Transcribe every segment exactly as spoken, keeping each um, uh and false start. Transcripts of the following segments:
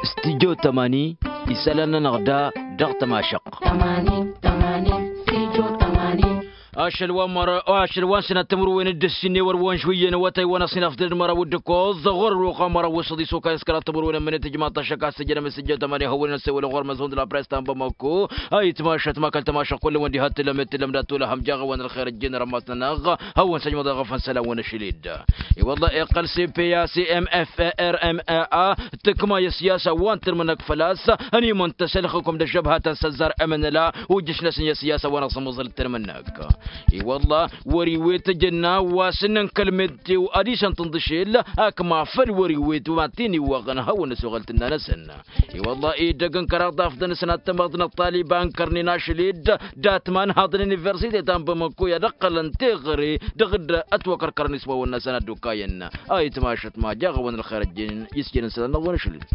Studio tămani. Isălan-nănăɣ da dăɣ-tămašăqq. Ašăl wa n-măra ašăl wa n-sănat timǝrwen d-ǝssin n-ewăr wa n-žwǝyyăn awătay wa n-ăṣṣin afdăd măraw d-ǝkkoẓ ɣur-ălwăqq wa n-măraw wa s-ăḍis okayăs kăraḍ timǝrwen ămmănet ijmaḍ-t ašăk a-s tǝjjănăm s-ǝjjăw tămani hawăn-in ăssewăl ɣur-măzhund la press ta n-bamăkko. Ayǝtmašăt ma kăl-tămašăqq kull-wăn diha t-tǝllăm d-tǝllăm d-ad-tolăhăm jaɣ-awăn ălxer ǝjjǝn rămas-nănăɣ hawăn-săjmăḍ eɣăfăn isălan wa n-ašăl-dd. I-wălla iqqăl s-p a s-m f r m a a tǝkma i-ăssiyasa wa n-tǝrmǝnăk făl-a-s ănimăntăs ălxǝkum d-ăžžăbha ta n-săzzar m n l-a. Ujǝš-năsăn i-ăssiyasa wa n-aẓǝmẓǝl d-tǝrmǝnăk. I-wălla wăr-iwet ăjănna wa s-ǝnnăn kăl-meteo ad-isăn-tǝnḍǝšel akma făll-wăr-iwet wa t-in-iwwăɣăn hawăn-ăsoɣăl tǝnna-năsăn. I-wălla edăgg n-kăraḍ afḍăn s-năttămăḍ n-ăṭṭaliba n-kărnen ašăl-dd dat-imanhaḍăn universite ta n-bamăkko i-ad-ǝqqălăn teɣăre dăɣ-dd-ătwăkărkărăn iswawăn-năsăn ad-dd-okayăn. Ayǝtmašăt ma jaɣ-awăn ălxer ăjjeen isjănen isălan-năɣ wa n-ašăl-dd.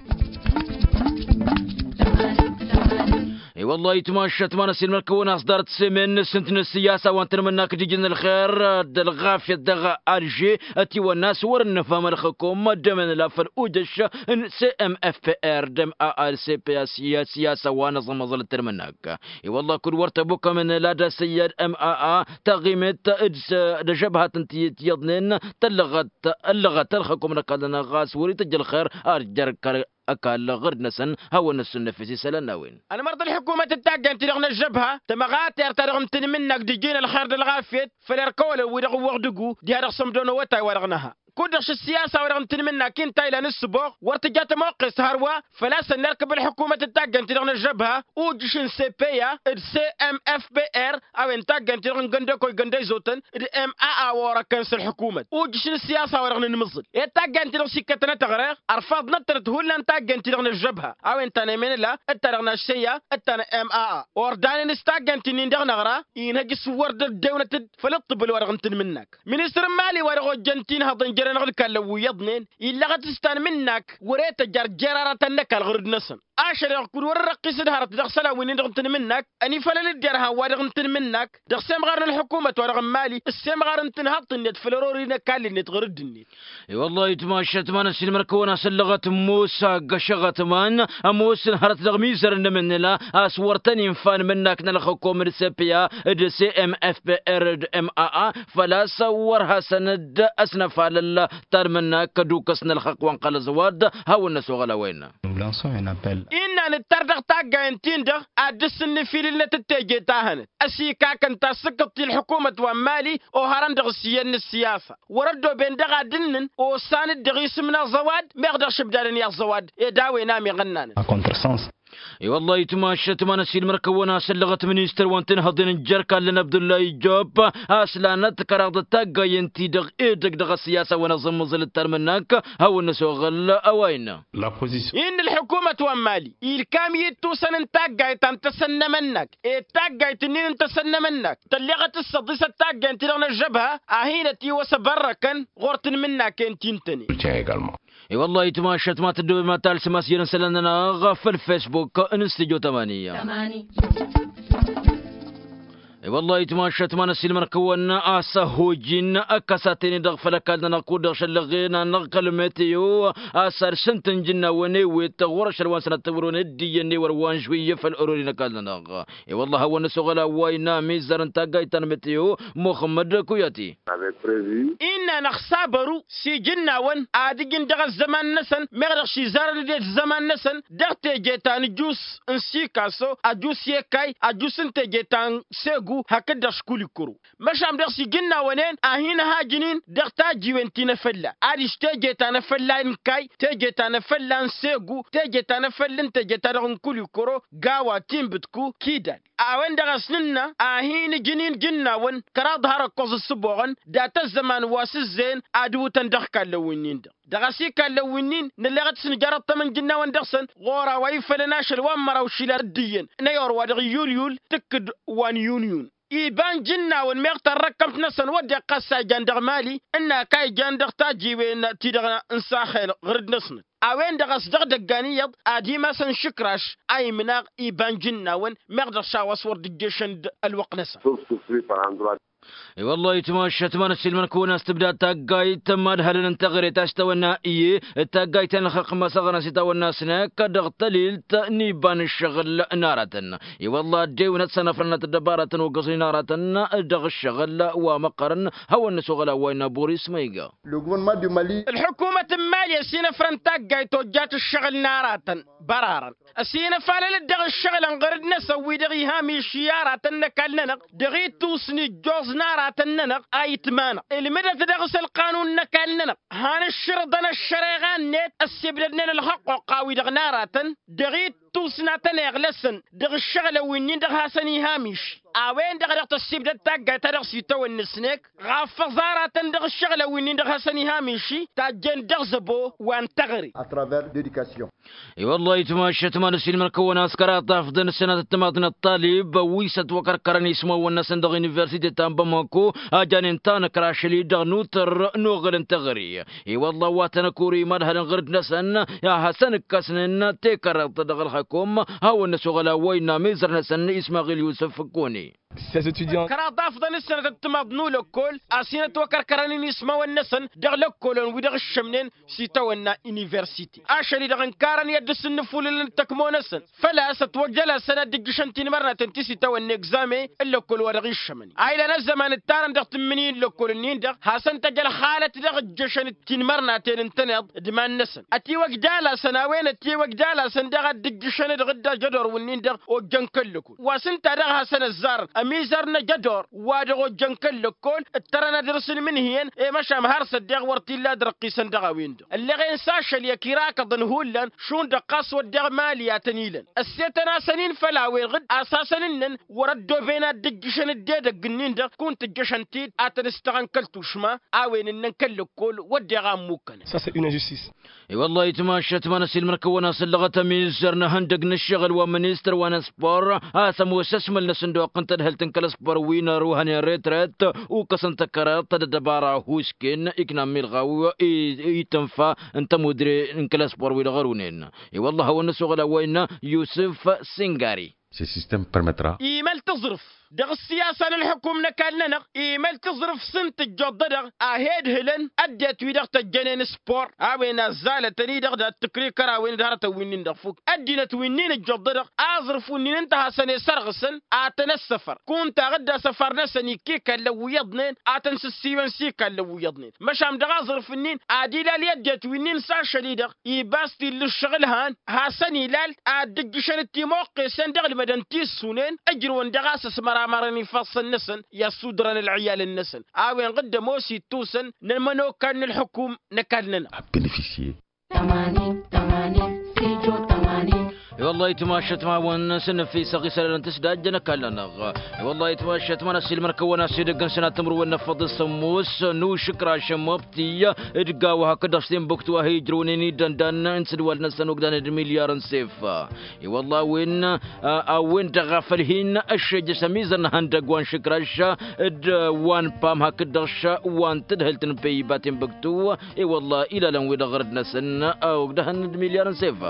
I-wălla ayǝtmašăt ma n-ăsilmăr-kăwăn a-s ḍarăt s-emen n-ǝssǝnt n-ǝssǝyasa wa n-tǝnmǝnnak d-ijǝn ălxer d-ălɣafyăt dăɣ-alže. Ătiwănna a-s wăr-ǝnnăfham ălxǝkum d-emănăla făll-ujăš n-s m f p r d-m a a d-s p a s-ǝssǝyasa wa n-aẓǝmẓǝl d-tǝnmǝnnak. I-wălla kud-wăr tăbukăm n-ălad asăyyad m a a taɣimet d-s d-ažăbhat n-tiyyăt iyyăḍnen tăllăɣăt tăllăɣăt ălxǝkum n-ăkall-nănăɣ ɣas wăr-itǝjj ălxer ad-jer-kăl-ăkall ɣǝrǝd-năsăn. Hawăn-năssunnăfes isălan n-a-wen. Ălmărḍ ălḥukumăt d-taggaynt-ti-dăɣ n-ăžžăbha tămăɣater-ta-dăɣ n-tanmǝnnak d-iji n-ălxer d-ălɣafyăt făll-erk ăwălăw wi-dăɣ ǝwwăɣ dăggu diha dăɣ-sămdo n-awătay wa dăɣ-nǝha. Kud-dăɣ šǝssiyasa-wa-dăɣ n-tanmǝnnak-i ǝnta ilan ǝssǝboɣ wăr tǝja tămoqqest hărwa. Făl-a-s ănnerkăb ălḥukumăt d-taggaynt-ti-dăɣ n-ăžžăbha ujǝš n-s p a d-s m f p r a-wen taggaynt-ti-dăɣ n-găndăkoy găndăyzotăn d-m a a wa orăkkăn s-ălḥukumăt ujǝš n-ǝssiyasa-wa-dăɣ n-inmǝẓǝl. Ed taggaynt-ti-dăɣ s-ikkătăn a tăɣreɣ ărfaḍnăt-tănăt hullan taggaynt-ti-dăɣ n-ăžžăbha a-wen ta n-emănăla d-ta-dăɣ n-aššăyya d-ta n-m a a ordanăn s-taggaynt-ti-nin dăɣ-năɣra. Inhăj s-wăr dd-ăddewna-t-dd făll-ǝṭṭǝbǝl-wa-dăɣ n-tanmǝnnak. Ministăr n-mali wa dăɣ-ojjăn tinhăḍăn jere-năɣ d-kallăn wi iyyăḍnen illăɣăt s-tanmǝnnak wăr-e tăjar jer-ara tănnăkall ɣǝrǝd-năsăn. Ašăl-eɣ kud-wăr-răqqis d-hărăt dăɣ-isălan wi-nin-dăɣ n-tanmǝnnak ănifălăl-dd irhan-wa-dăɣ n-tanmǝnnak dăɣ-semɣar n-ălḥukumăt-wa-dăɣ n-mali ăssemɣar n-tanhaḍt-net făll-ărori n-ăkall-net ɣǝrǝd-net. I-wăllah itmašăt ma n-ăssiilmăr-kăwăn-asăllăɣăt musa găšăɣăt man ămoosăn hărăt dăɣ-mizăr n-emǝnnǝla a-s wăr tăn-infa n-imǝnnak n-ălxǝkum d-s p a d-s m f p r d-m a a făl-a-s wăr hasăn-dd-ăsnăfalăl ta n-imǝnnak kădukăs n-ălxăqq wa n-qălăẓ wa dd-hawăn-năsoɣăl a-wa innă. Innă nǝttar dăɣ-taggayen-tin-dăɣ ad-dd-sǝnnǝfilǝlnăt d-teje ta hănăt ăsikakăn ta s-ǝkkăḍ ti ălḥukumăt wa n-mali ohărăn dăɣ-s iyyăn n-ăssiyasa. Wăr-ăddooben dăɣ-ad-ǝnnǝn osan-dd dăɣ-isǝm n-aẓăwad meɣ dăɣ-išǝbdadăn i-aẓăwad. Ed a-wen a meɣ ănnanăt. I-wăllah itmašăt ma n-ăsiilmăr-kăwăn-asăllăɣăt ministăr wa n-tinhăḍen n-jer-kallăn abdullahi job a-s lanăt kăraḍăt taggayen-ti-dăɣ edăgg dăɣ-ăssiyasa wa n-aẓǝmmǝẓǝl d-talmǝnnak. Hawăn-năsoɣăl a-wa innă. Innă ălḥukumăt wa n-mali ilkam i-ittusăn n-taggayt ta n-tasănnămănnak ed taggayt-ǝnnin n-tasănnămănnak tălleɣăt s-săḍisăt taggayt-ti-dăɣ n-ăžžăbha a hin-ătiwăs abărrăkăn ɣur-tanmǝnnaken ti n-tăne. I-wăllah itmašăt ma tăddobem ad-talsǝm asjăr n-isălan-nănăɣ făll-facebook n-stujo tămani. I-wăllah itmašăt ma n-ăssiilmăr-kăwăn a-s ăhhojin ăkkăs a ten-i-dăɣ făll-ăkall-nănăɣ kud-dăɣ šăllăɣen-anăɣ kăl-meteo a-s ad-sǝntǝnj n-a-wen ewet ɣur-ašăl wa n-sănăt tămărwen d-iyyăn ewăr wa n-žwǝyyǝ făll-orori n-ăkall-nănăɣ. I-wăllah hawăn-năsoɣăl a-wa innă amizzar n-taggayt ta n-meteo muxămmăd kuyati. Innă năxsabăru s-ijǝnnawăn ad-ǝjǝn dăɣ-ăzzăman-năsăn meɣ dăɣ-s izarăn-dd i-ăzzăman-năsăn dăɣ-teje ta n-ǝjus n-sikaso ăjus i-ekay ăjus n-teje ta n-segu hakd-dăɣ s-kulikuro. Măšan dăɣ-s ijǝnnawăn-en a hin-ăhajǝn-in dăɣ-tajiwen ti n-efălla adiš teje ta n-efălla n-kay teje ta n-efălla n-segu teje ta n-efălla n-teje ta dăɣ-n kulikuro gawa tinbǝtku kidal. A-wen-dăɣ a-s nǝnnă a hin-ǝjǝn-in jǝnnawăn kăraḍ har ǝkkoẓ ǝssǝboɣăn dat-ăzzăman wa s-ǝzzeyăn ad-ǝwǝtăn dăɣ-ikallăn wi-nin-dăɣ dăɣ-s ikallăn wi-nin nălleɣăt s-nǝjar ăṭṭămăn jǝnnawăn dăɣ-săn ɣur-a-wa ifălăn ašăl wa n-măraw išilan d-iyyăn n-ăyor wa dăɣ-iyyulyul tǝkkǝd wa n-iyyunyun. Iba n-jǝnnawăn meɣ tarrăkkămt-năsăn wădden ɣas a ijan dăɣ-mali ǝnn'-ak a ijan dăɣ-tajiwen-ti-dăɣ n-saxel ɣǝrǝd-năsnăt. A-wen-dăɣ a-s dăɣ-idăggan iyyăḍ ad-imasăn išǝkraš a imnaɣ iba n-jǝnnawăn meɣ dăɣ-s a-wa s-wăr dd-ǝjješăn d-ălwăqq-năsăn. I-wăllah itmašat ma n-ăssiilmăn-kăwăn a-s tǝbdad taggayt n-imadhălăn n-teɣăre ta s-tawănna iyyăn d-taggayt ta n-ălxaqq ma s-aɣrăn s-itawănna s-năkk dăɣ-tălilt n-iba n-ǝššăɣǝl n-aratăn. I-wăllah ăddewăn ad-sănăfrănăt ăddăbaratăn ogăẓnen aratăn dăɣ-ǝššăɣǝl wa măqqărăn. Hawăn-năsoɣăl a-wa innă boris ma iga. Ălḥukumăt n-mali ăsinăfrăn taggayt ojjat ǝššăɣǝl n-aratăn bărarăn ăsinăfalălăt dăɣ-ǝššăɣǝlăn ɣăr-dd-năsăn wi-dăɣ iha miši aratăn n-ăkall-nănăɣ dăɣ-ittus n-ijjoẓ n-aratăn-nănăɣ a itmanăɣ ǝlmǝdăt dăɣ-s ălqanun n-ăkall-nănăɣ. Han ǝššǝrǝḍăn ăššăreɣa-net ăssibdădnen ălxăqqoqqa-wi-dăɣ n-aratăn dăɣ-ittus n-ad-tăn-iɣlăsăn dăɣ-ǝššăɣǝlăn wi-nin-dăɣ hasăn-iha miši. A-wen-dăɣ a dăɣ-tăssibdăd taggayt ta dăɣ-s itawănna s-năkk ɣaf ăẓaratăn dăɣ-ǝššăɣǝlăn wi-nin-dăɣ hasăn-iha miši tajjen dăɣ-zăbo wa n-teɣăre. I-wăllah itmašat ma n-ăssiilmăn-kăwăn a-s kăraḍ afḍăn ǝssanăt ăttămaḍ n-ăṭṭalib wi s-ătwăkărkărăn ismawăn-năsăn dăɣ-universite ta n-bamako a janen tanăkra ašăl-i-dăɣ n-utǝr n-oɣăl n-teɣăre. I-wăllah wa tăn-ăkori imadhălăn ɣǝr-dd-năsăn a hasăn-ǝkkăsnen tekăraḍt dăɣ-ălxăkom. Hawăn-năsoɣăl a-wa innă amizăr-năsăn ismaɣil yusǝf ǝkkone. Kăraḍ afḍăn ǝssanăt ăttămaḍ n-ulăkkol a-s hin-ătwăkărkărăn inismawăn-năsăn dăɣ-lăkkolăn wi dăɣ-iššămnen s-itawănna universite ašăl-i-dăɣ ǝnkarăn i-ad-dd-sǝnnǝfulǝlăn d-tăkmo-năsăn. Făl-a-s ătwăjjăl-asăn ad-dd-ǝjjǝšăn tinmărnaten ti s-itawănna egzame n-lăkkol wa dăɣ-iššămăn a ilan ăzzăman ǝttarăn dăɣ-tǝmmǝnǝy n-lăkkol-ǝnnin-dăɣ hasăn-tăj ălxalăt dăɣ-ǝjjăšăn d-tinmărnaten ǝntăneḍ d-iman-năsăn. Ătiwăj d-alasăn a-wen ătiwăj d-alasăn daɣ ad-dd-ǝjjǝšăn dăɣ-dd-ajădor-wǝnnin-dăɣ ojjăn kăl-lăkkol wa s-ǝnta daɣ hasăn-ăzzarăn ămizăr n-ajădor wa dăɣ-ojjăn kăl-lăkkol. Ǝttărăn ad-dăr-sǝlmǝnhǝyăn i-măšan har s-ăddeɣ wăr t-illa ad-răqqisăn dăɣ-a-wen-dăɣ ǝlleɣen s-ašăl i-ăkirakăḍăn hullan šund ăqqas wădden mali a tăn-ilăn. Ăssetăn-asăn-in făll-a-wen ɣǝd a-s hasăn-ǝnnăn wăr-ăddooben ad-dd-ǝjjǝšăn dd-edăgg-ǝnnin-dăɣ kunta ǝjjăšăn-t-dd ad-tăn-ǝstăɣăn kăl-tušma. A-wen ǝnnăn kăl-lăkkol wădden a ǝmmukănăn. Sasa une injustice. I-wăllah itmašat ma n-ăsilmăr-kăwăn a-s ǝllăɣăt ămizăr n-ehăndăg n-ǝššăɣǝl wa n-ministăr wa n-ăspor a-s ămoos ăsmăl-năsăn d-oqqăn tadhǝlt n-kăl-ăspor wi n-ăruhăn i-retret. Ukăsăn tăkăraḍt d-ăddăbara hušken ikna milɣaw itǝnfa n-tămudre n-kăl-ăspor wi-dăɣ ărunen. I-wăllah a hawăn-năsoɣăl a-wa innă yusǝf singari. Se sistem permetra. Imăl tǝẓrǝf dăɣ-ǝssiyasa n-ălḥukum n-ăkall-nănăɣ. Imăl tǝẓrǝf s-ǝnta ǝjjoḍ-dăɣ a he-ǝdhǝlăn ăddinăt wi dăɣ-tăjjănen s-por a-wen azzalătăn-i-dăɣ d-ad-tǝkrǝy kărawen d-hărătăn wi-nin-dăɣ fuk ăddinăt wi-nin ǝjjoḍ-dăɣ aẓrǝf wi-nin ǝnta a hasăn-e-sărɣǝsăn. Ad-tăn-ăssăfăr kunta a ɣǝdda asăfar-năsăn ikk'-i ikallăn wi iyyăḍnen ad-tăn-sǝssiwăn s-ikallăn wi iyyăḍnen. Măšan dăɣ-aẓrǝf-nin ad-ilal i-ăddinăt wi-nin s-ašăl-i-dăɣ ibas t-illa ǝššăɣǝl han hasăn-ilal ad-dd-ǝjjǝšăn d-timoqqesen dăɣ-ǝlmădăn ti ǝssunen. Ǝjrǝwăn dăɣ-a-s ăsmăramărăn ifassăn-năsăn i-ăssudărăn ălɣiyalăn-năsăn a-wen ɣǝdda ămoos ittusăn n-ămănokan n-ălḥukum n-ăkall-nănăɣ. A benefisye. Tămanin tămanin. Sijo tămanin. I-wăllah itmašat ma hawăn-săn năfisăɣ isălan n-tǝsdajjăn ăkall-nănăɣ. I-wăllah itmašat ma n-ăsilmăr-kăwăn a-s edăgg n-sănat timǝrwen n-afăḍ s-ămmus n-ušǝkraš n-mobti d-gawa hakd-dăɣ s-tinbuktu a hi-ijrăwnen idăndan n-sǝdwal-năsăn ogdan d-milyar n-sef. I-wăllah a-wen a-wen-dăɣ a făl hin-ăššejăš ămizăr n-ehăndăgg wa n-išǝkraš d-wa n-pam hakd-dăɣ š-wa n-tadhǝlt n-peyba tinbuktu. I-wăllah ilalăn-wi-dăɣ ɣărăd-năsăn ogdăhăn d-milyar n-sef.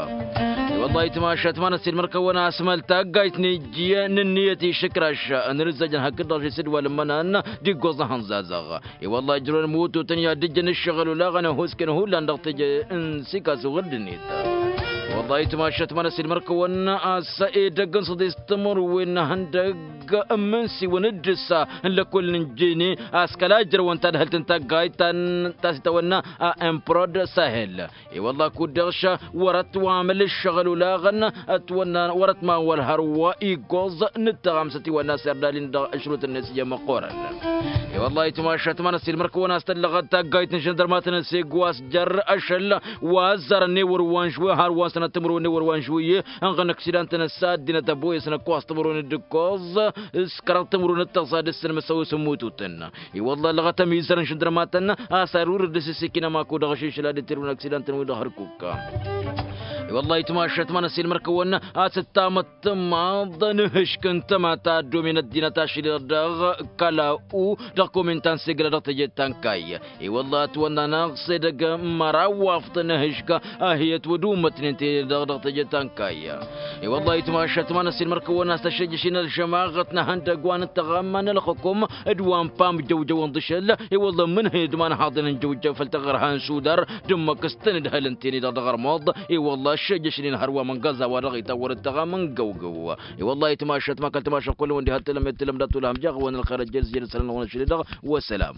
I-wăllah itmašat ma n-ăssilmăr-kăwăn asmăl taggayt n-ijjǝy n-ǝnniyăt išǝkraš n-irǝzzăjăn hakd-dăɣ š-isǝdwal n-imănan d-iggoẓ n-ehăn zazăɣ. I-wăllah ǝjrăwăn mututăn i-ad-dd-ǝjjăn ǝššăɣǝl olaɣăn ăhuusken hullan dăɣ-teje n-sikasu ɣǝr-dd-net. I-wăllah itmašat ma n-ăssilmăr-kăwăn a-s edăgg n-săḍis timǝrwen n-ehăndăgg ǝmmǝnsiwăn d-ǝssa n-lăkkol n-injene a-s kăla ǝjrăwăn tadhǝlt n-taggayt ta s-itawănna a improd sahel. I-wălla kud-dăɣ ša wăr-ătwamăl ǝššăɣǝl olaɣăn ătwănna wăr-ătmawăl hărwa iggoẓ n-ǝttăɣamsăt iwănna s-erdalin dăɣ-ašrut-net i-măqqoorăn. I-wălla itmašat ma n-ăssilmăr-kăwăn a-s tăllăɣăt taggayt n-žăndărmatăn s-egg wa s-jer ašăl wa ăzzarăn n-ewăr wa n-žwi har wa n-sănăt timǝrwen n-ewăr wa n-žwi ănɣăn ăksidantăn s-ad-dinăt ăboyăsăn ăkk wa s-timǝrwen d-ǝkkoẓ s-kăraḍ timǝrwen d-tăẓa d-ǝssǝnmăsăw s-ămmututăn. I-wălla ăllăɣăt ămizăr n-žăndărmatăn a-s arur d-asǝsikinăm akud ăɣšišǝl ad-dd-tirǝwăn ăksidantăn wi dăɣ-hărkuk. I-wăllah itmašat ma n-ăsilmăr-kăwăn a-s ǝttamăt tǝmmaḍ n-ehǝšk n-tămata ăddomen ăddinăt ašăl-i-dăɣ kăla-u dăɣ-komin ta n-segla dăɣ-teje ta n-kayy. I-wăllah ătwănn'-anăɣ s-edăgg măraw wa ăfḍăn ehǝšk a hi-ătwădumătnen tene-dăɣ dăɣ-teje ta n-kayy. I-wăllah itmašat ma n-ăsilmăr-kăwăn a-s tăššăjjăšnen ălžămaɣăt n-ehăndăgg wa n-ǝttăɣamma n-ălxǝkum d-wa n-pam jăwjăwăn d-ašăl. I-wăllah ǝmmǝnhăyăd ma n-haḍăn n-jăwjăw făll-taɣărha n-sudar d-ǝmmǝk s-tăn-ǝdhălăn tene-dăɣ dăɣ-ărmuḍ. I-wăllah ăššăjjăšnen hărwa măngăẓ a-wa dăɣ-itawăr ǝttăɣam n-găwgăw. I-wăllah itmašat ma kăl-timašăɣ kull-wăn diha t-tǝlăm i-tǝlăm d-ad-tulhăm jaɣ-wăn ălxer ăjjăl s-jăl sălăn-wăn ašăl-i-dăɣ. Wăssălam.